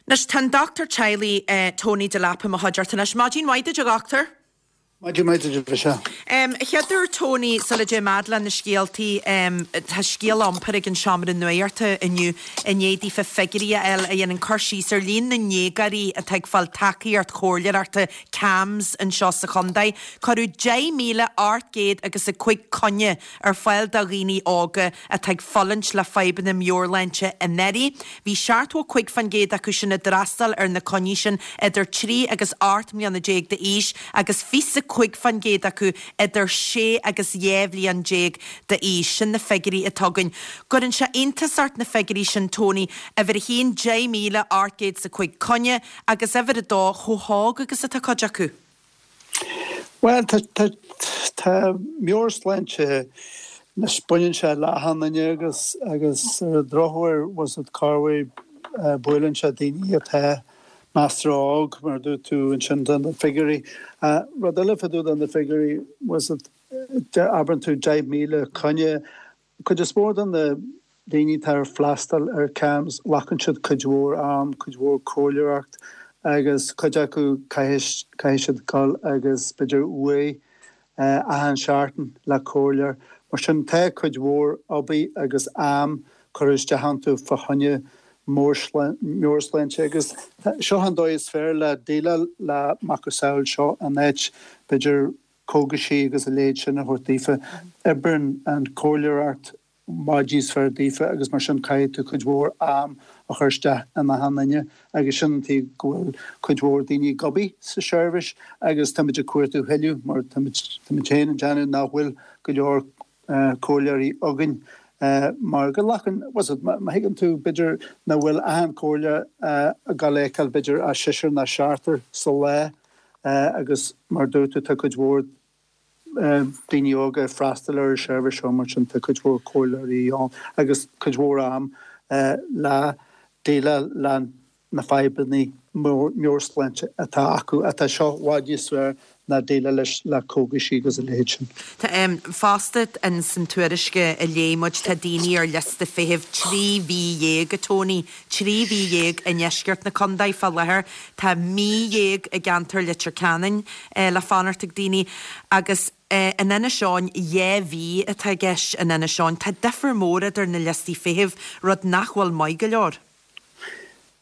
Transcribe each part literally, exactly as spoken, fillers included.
Anois tá an dochtúir teaghlaigh Tony Delap i mo chuideachta anois. Maidin mhaith duit a dhochtúir. Maidin mhaith duit a Mhichelle. A chéaduair Tony, sula dtéim fhad le na scéaltaí, tá scéal iompair ag an Seomra Nuachta inniu i ndiaidh daofa figiúirí a fháil a dhéanann cur síos ar líon na ndéagóirí atá ag fáil tacaíocht chomhairleoireachta CAMHS anseo sa chontae. Cuireadh deich míle ocht gcéad agus a cúig coinne ar fáil do dhaoine óga atá ag fulaingt le fadhbanna meabhairshláinte anuraidh. Bhí seachtó a cúig faoin gcéad acu sin a d'fhreastail ar na coinní sin idir trí agus ocht mbliana déag d'aois agus fiche a cúig faoin gcéad acu idir sé agus dhá bhliain déag d'aois. Sin na figiúirí atá againn. Cuireann sé iontas ort na figiúirí sin, Tony, uimhir a haon, deich míle ocht gcéad is a cúig coinne agus uimhir a dó, chomh hóg agus atá cuid acu. Bhuel, tá, tá, tá meabhairshláinte anois, baineann sé le achan duine agus, agus ar an drochuair, bhfuil a fhios agat, corruair, buaileann sé daoine atá measartha óg, mar a dúirt tú ansin de na figiúirí. Rud eile fá dtaobh de na figiúirí, bhfuil a fhios agat, abraireann tú deich míle coinne. Cuid is mó de na daoine atá ar freastal ar CAMHS, glacann siad cuid mhór am, cuid mhór comhairleoireacht agus cuid acu caithfidh caithfidh siad dul agus b'fhéidir uair achan seachtain le comhairleoir. Mar sin tá cuid mhór obair agus am curtha isteach iontu fá choinne meabhairshláinte agus seo an dóigh is fearr le déileáil le macasamhail seo in áit b'fhéidir cógaisí agus a leithéid sin a thabhairt daofa. Oibríonn an chomhairleoireacht i bhfad níos fearr daofa agus mar sin caithfidh tú cuid mhór am a chur isteach in achan duine agus sin an tuige go bhfuil cuid mhór daoine ag obair sa seirbhís agus táimid ag cuartú thuilleadh mar táimid táimid féin ag déanamh nach bhfuil go leor comhairleoirí againn mar go nglacann, bhfuil a fhios agat, má thuigeann tú, b'fhéidir nach bhfuil achan chomhairleoir ag dul a fheiceáil b'fhéidir ach seisear nó seachtar sa lá agus mar a dúirt tú tá cuid mhór daoine óga ag freastal ar an seirbhís seo mar sin tá cuid mhór comhairleoirí ann agus cuid mhór am le déileáil le na fadhbanna meabhairshláinte atá acu, atá seo i bhfad níos fearr ná déileáil leis le cógaisí agus a leithéid sin. Tá fosta in san tuairisc a léigh muid, tá daoine ar liosta feithimh trí mhí dhéag, a Tony, trí mhí dhéag i ndeisceart na contae fá láthair. Tá mí dhéag i gceantar Leitir Ceanainn le fanacht ag daoine agus in Inis Eoghain dhá mhí atá i gceist in Inis Eoghain. Tá difear mór idir na liostaí feithimh, rud nach bhfuil maith go leor.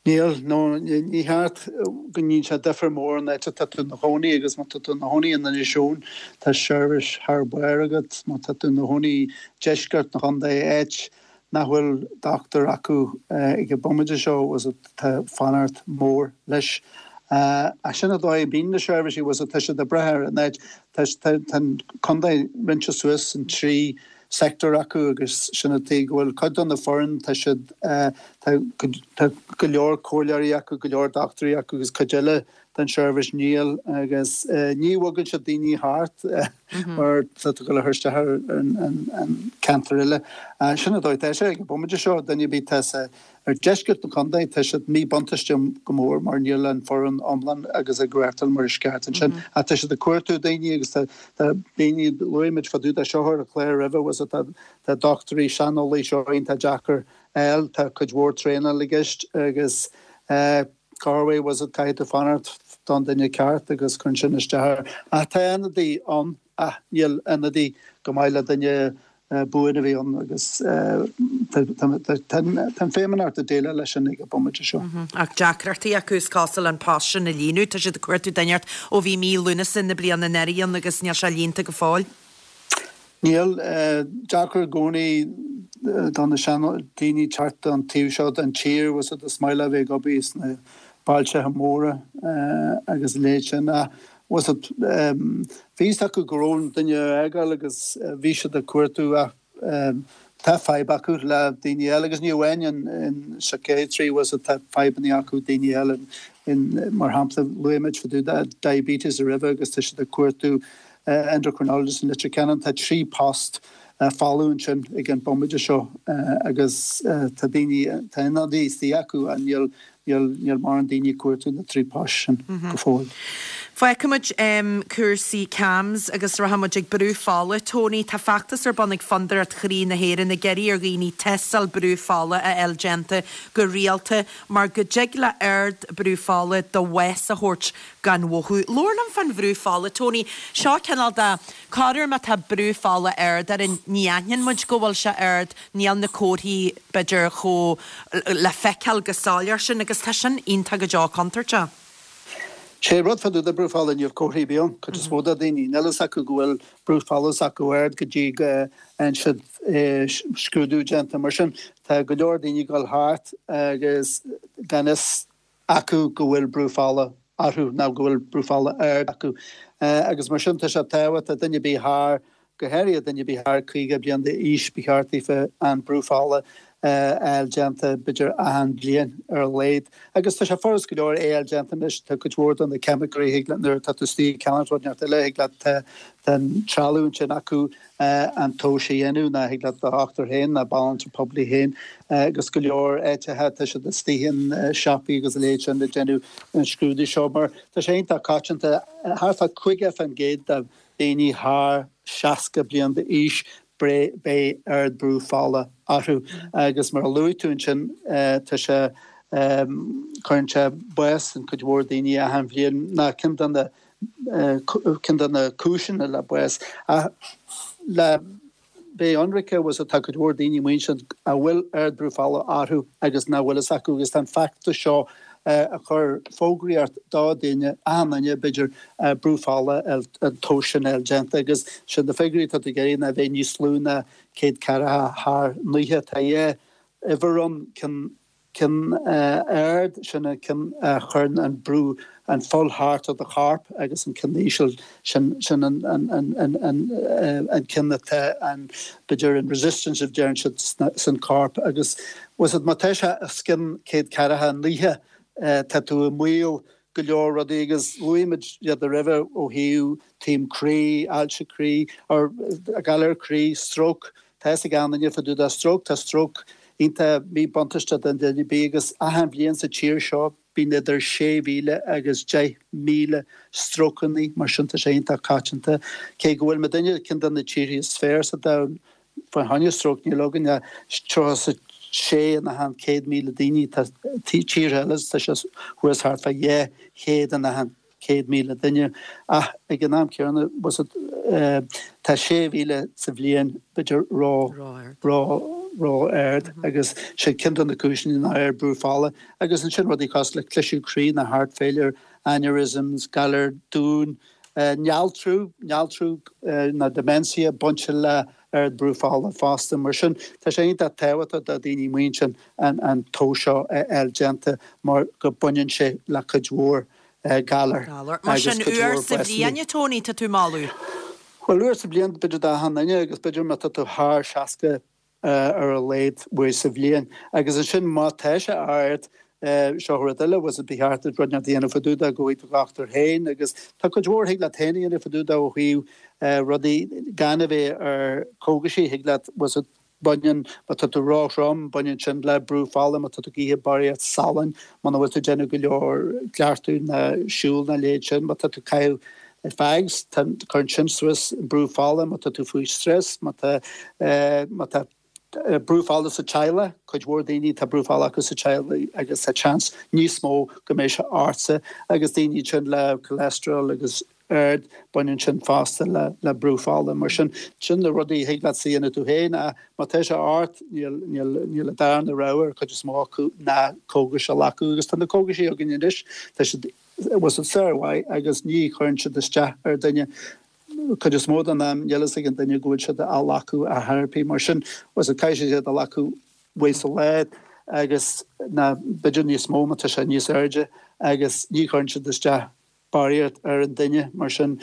Níl, nó ní cheart go ndéanann sé difear mór an áit atá tú ina chónaí agus má tá tú ina chónaí in Inis Eoghain tá seirbhís thar barr agat, má tá tú ina chónaí i deisceart na chontae, áit nach bhfuil dochtúir acu ag an bomaite seo, bhfuil a fhios agat, tá fanacht mór leis. Ach sin an dóigh a mbíonn na seirbhísí, bhfuil a fhios agat, tá siad ag brath ar an áit, tá an contae roinnte suas in trí sector acu agus sin an tuige go bhfuil cuid de na foireann, tá siad, tá tá go leor comhairleoirí acu, go leor dochtúirí acu agus cuid eile den seirbhís níl agus ní bhogann siad daoine thart mar tá tú ag dul a chur isteach ar an ceantar eile. Sin an dóigh atá sé ag an bomaite seo, duine ar bith atá sa Ar deisceart na contae, tá siad míbhuntáiste go mór mar níl an foireann iomlán agus ag reáchtáil mar is ceart ansin. Ach tá siad ag cuartú daoine agus tá daoine, luaigh muid fá dtaobh de seo ar an chlár roimhe, bhfuil a fhios agat, tá dochtúirí saineolaí seo iontach deacair a fháil, tá cuid mhór traenáil i gceist agus corruair, bhfuil a fhios agat, caithfidh tú fanacht don duine ceart agus cuireann sin isteach air. Ach tá ionadaí ann ach níl ionadaí go maith le duine buan a bhí ann agus tá an Feidhmeannacht ag déileáil leis sin ag an bomaite seo. Ach deacrachtaí acu is cosúil an post sin a líonadh. Tá siad ag cuartú duine inteacht ó bhí mí Lúnasa na bliana anuraidh ann agus níl sé líonta go fóill. Níl. Deacair i gcónaí do na seandaoine teacht don taobh seo den tír, bhfuil a fhios agat, is maith leo a bheith ag obair sna bailteacha móra agus a leithéid sin ach bhfuil a fhios agat, bhí fhios acu go raibh an duine á fhágáil agus bhí siad ag cuartú ach tá fadhb acu le daoine eile agus ní amháin in psychiatry, bhfuil a fhios agat, tá fadhbanna acu daoine eile in mar shampla luaigh muid fá dtaobh de diabetes roimhe agus tá siad ag cuartú endocrinologist in Leitir Ceanainn, tá trí post folamh ansin ag an bomaite seo agus tá daoine, tá ionadaí istigh acu ach níl Níl, níl mórán daoine ag cuartú na trí post sin go fóill. Fágfaimid cúrsaí CAMHS agus rachaimid ag brú fola. Tony, tá feachtas ar bun ag Fondúireacht Chroí na hÉireann ag iarraidh ar dhaoine tástáil brú fola a fháil déanta go rialta mar go dtig le ard brú fola do bhás a thabhairt gan mhothú. Labhair liom fán bhrú fola, Tony. Seo cineál de corruair má tá brú fola ard orainn ní aithníonn muid go bhfuil sé ard, níl na comharthaí b'fhéidir chomh le feiceáil go soiléir sin agus tá sin iontach go deo contúirteach. Sé rud fá dtaobh de brú fola níl comharthaí ar bith ann, cuid is mó de daoine, níl fhios acu go bhfuil brú fola s'acu ard go dtí go bhfaigheann siad scrúdú déanta. Mar sin tá go leor daoine ag dul thart agus gan fhios acu go bhfuil brú fola orthu nó go bhfuil brú fola ard acu. Agus mar sin tá sé tábhachtach duine ar bith thar go háirithe duine ar bith thar caoga bliain d'aois, ba cheart daofa an brú fola a fháil déanta b'fhéidir achan bhliain ar a laghad. Agus tá sé furast go leor é a fháil déanta anois, tá cuid mhór de na ceimiceoirí, thig leat nuair atá tú istigh ag ceannacht rud inteacht eile, thig leat tá an trealamh ansin acu an tomhas a dhéanamh nó thig leat do dhochtúir féin nó banaltra poiblí féin agus go leor áiteacha tá siad istigh in siopaí agus a leithéid sin ag déanamh an scrúdú seo mar tá sé iontach coitianta, thart fá caoga fán gcéad de daoine thar seasca bliain d'aois, beidh ardbhrú fola orthu agus mar a luaigh tú ansin tá sé, cuireann sé bás an cuid mhór daoine achan bhliain ná ceann de na, ceann de na cúiseanna le bás. Ach le bheith ionraic bhfuil tá cuid mhór daoine amuigh ansin a bhfuil ardbhrú fola orthu agus nach bhfuil fhios acu agus tá an feachtas seo ag cur fógraíocht do daoine, achan duine b'fhéidir, brú fola an tomhas sin a fháil déanta agus sin na figiúirí atá tú ag iarraidh ná a bheith níos lú ná céad ceathracha thar naocha. Tá dhá uimhir ann, ceann ceann ard, sin an ceann a chuireann an brú, an fuil thart ar do chorp agus an ceann íseal, sin sin an an an an an an ceann atá an b'fhéidir an resistance a deireann siad san corp agus bhfuil fhios agat má tá sé os cionn céad ceathracha naocha tá tú i mbaol go leor rudaí agus luaigh muid iad roimhe ó thaobh taom croí, ailse croí, or galar croí, stróc, tá fhios ag achan duine fá dtaobh de stróc, tá stróc iontach míbhuntáisteach don duine ar bith agus achan bhliain sa tír seo bíonn idir sé mhíle agus deich míle strócannaí mar sin tá sé iontach coitianta. Cé go bhfuil muidinne ceann de na tíortha is fearr sa domhan fá choinne stróc níl againn ach tríocha is sé in achan céad míle daoine, tá tíortha eile tá sé thuas thart fá dhá chéad in achan céad míle duine ach ag an am céanna tá sé mhíle sa bhliain b'fhéidir ró ró ró-ard agus sé ceann de na cúiseanna ná ard brú fola agus ansin rudaí cosúil le cliseadh croí nó heart failure, aneurysms, galar domhain, néaltrú, néaltrú nó dementia bainte le ard brú fola fosta. Mar sin tá sé iontach tábhachtach do daoine amuigh ansin an an tomhas seo a fháil déanta mar go baineann sé le cuid mhór galar Galar. Mar agus sin cuid uair mhór sa básanna. bhliain, a Tony, tá tú moladh? Bhuel uair sa bhliain b'fhéidir d'achan duine agus b'fhéidir má tá tú thar seasca ar a laghad uair sa bhliain. Agus ansin má tá sé ard, seo rud eile, bhfuil fhios agat ba cheart duit rud inteacht a dhéanamh fá dtaobh de go bhfaighidh do dhochtúir féin agus tá cuid mhór thig leat féin a dhéanamh fá dtaobh de ó thaobh rudaí gan a bheith ar cógaisí, thig leat, bhfuil fhios agat, baineann, má tá tú ró-throm, baineann sin le brú fola, má tá tú ag ithe barraíocht salainn, muna bhfuil tú ag déanamh go leor cleachtadh ná siúl ná a leithéid sin, má tá tú ag caitheamh fags, tá, cuireann sin suas brú fola, má tá tú faoi stress, má tá, má tá brú fola sa teaghlach, cuid mhór daoine tá brú fola acu sa teaghlach agus tá seans níos mó go mbeidh sé ortsa agus daoine sin le cholesterol agus ard, baineann sin fosta le le brú fola. Mar sin, sin na rudaí a thig leat a dhéanamh tú féin ach má tá sé ort, níl, níl, níl an darna rogha ar cuid is mó acu ná cógais a ghlacadh agus tá na cógaisí againn anois, tá siad, bhfuil fhios agat sármhaith agus ní chuireann siad isteach ar duine. Cuid is mó den am níl fhios ag an duine go bhfuil siad á ghlacadh ar chor ar bith. Mar sin, bhfuil fhios agat caithfidh siad iad a ghlacadh uair sa lá agus ná b'fhéidir níos mó má tá sé níos airde agus ní chuireann siad isteach barraíocht ar an duine. Mar sin,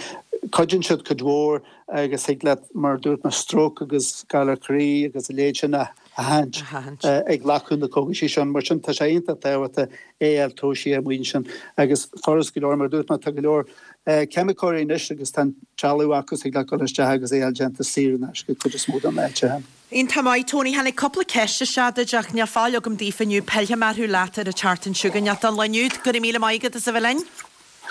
cuidíonn siad cuid mhór agus thig leat, mar a dúirt mé, stróc agus galar croí agus a leithéid sin a sheachaint ag glacadh na cógaisí sin. Mar sin, tá sé iontach tábhachtach é a fháil tomhaiste amuigh ansin agus furast go leor, mar a dúirt mé, tá go leor ceimiceoirí anois agus tá an trealamh acu, thig leat dul isteach agus é a fháil déanta saor in aisce cuid is mó de na háiteacha. Iontach maith, Tony. Tháinig cúpla ceist isteach duit ach níl fáil agam daofa inniu. Pillfidh mé orthu leat ar an tseachtain seo chugainn. Ach don lá inniu, go raibh míle maith agat as a bheith linn.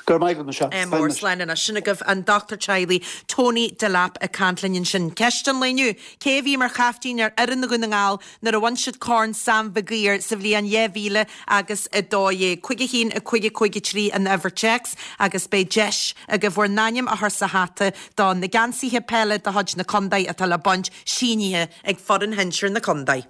Go raibh maith agat, Michelle. Mór slán anois. Sin agaibh an dochtúir teaghlaigh Tony Delap ag caint linn ansin. Ceist an lae inniu, Cé a bhí mar chaiftín ar fhoireann Dhún na nGall nuair a bhain siad Corn Sam Mhig Uidhir sa bhliain dhá mhíle agus a dó dhéag? Cúig a haon, a cúig, a cúig a trí an uimhir téacs agus beidh deis agaibh bhur n-ainm a chur sa hata do na geansaithe peile de chuid na contae atá le baint sínithe ag foireann shinsir na contae.